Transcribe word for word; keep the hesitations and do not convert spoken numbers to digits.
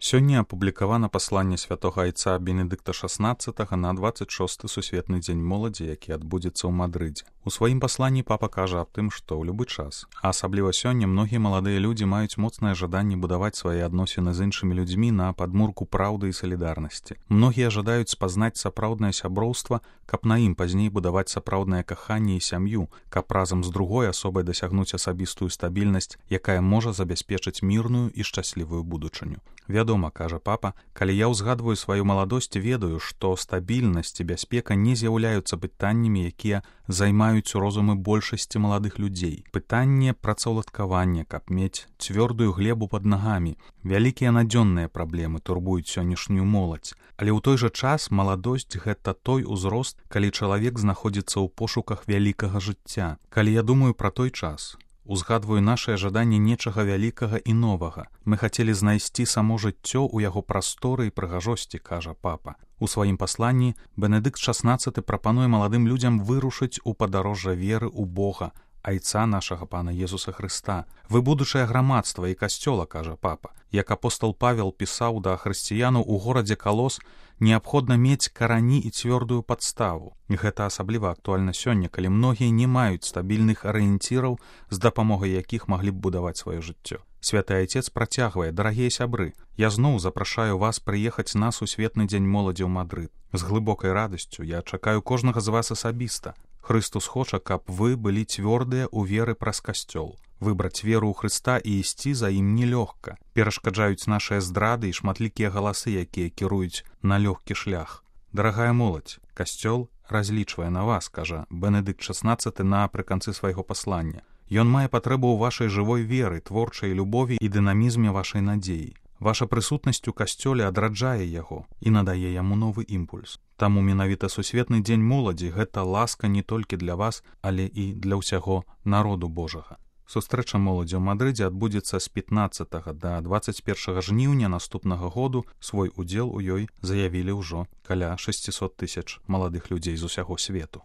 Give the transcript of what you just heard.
Сёння апублікавана пасланне святога айца Бенедыкта шаснаццатага на дваццаць шосты сусветны дзень моладзі, які адбудзецца ў Мадрыдзе. У сваім пасланні папа кажа аб тым, што ў любы час, а асабліва сёння, многія маладыя людзі маюць моцнае жаданне будаваць свае адносіны з іншымі людзьмі на падмурку праўды і салідарнасці. Многія жадаюць спазнаць сапраўднае сяброўства, каб на ім пазней будаваць сапраўднае каханне і сям'ю, каб разам з другой асобай дасягнуць асабістую стабільнасць, якая можа забяспечыць мірную і шчаслівую будучыню. Вядома, кажа папа, калі я ўзгадваю сваю маладосць, ведаю, што стабільнасць і бяспека не з'яўляюцца пытаннямі, якія займаюць розумы большасці маладых людзей. Пытанне працаўладкавання, каб мець цвёрдую глебу пад нагамі. Вялікія надзённыя праблемы турбуюць сённяшнюю моладзь. Але ў той жа час маладосць — гэта той узрост, калі чалавек знаходзіцца ў пошуках вялікага жыцця. Калі я думаю пра той час, узгадваю нашае жаданне нечага вялікага і новага. Мы хацелі знайсці само жыццё ў яго прасторы і прыгажосці, кажа папа. У сваім пасланні Бенедыкт шаснаццаты прапануе маладым людзям вырушыць у падарожжа веры ў Бога, айца нашага пана Езуса Хрыста. Вы будучае грамадства і касцёла, кажа папа. Як апостол Павел пісаў да хрысціянаў у горадзе Калос, неабходна мець карані і цвёрдую падставу. І гэта асабліва актуальна сёння, калі многія не маюць стабільных арыенціраў, з дапамогай якіх маглі б будаваць сваё жыццё. Святы айцец працягвае: дарагія сябры, я зноў запрашаю вас прыехаць на сусветны дзень моладзі ў Мадрыд. З глыбокай радасцю я чакаю кожнага з вас асабіста. Хрыстус хоча, каб вы былі цвёрдыя ў веры праз касцёл. Выбраць веру ў Хрыста і ісці за ім нелёгка. Перашкаджаюць нашыя здрады і шматлікія галасы, якія кіруюць на лёгкі шлях. Дарагая моладзь, касцёл разлічвае на вас, кажа Бенедыкт шаснаццаты напрыканцы свайго паслання. Ён мае патрэбу ў вашай жывой веры, творчай любові і дынамізме вашай надзеі. Ваша прысутнасць у касцёле адраджае яго і надае яму новы імпульс. Таму менавіта сусветны дзень моладзі — гэта ласка не толькі для вас, але і для ўсяго народу Божага. Сустрэча моладзі ў Мадрыдзе адбудзецца з пятнаццатага да дваццаць першага жніўня наступнага году. Свой удзел у ёй заявілі ўжо каля шэсцісот тысяч маладых людзей з усяго свету.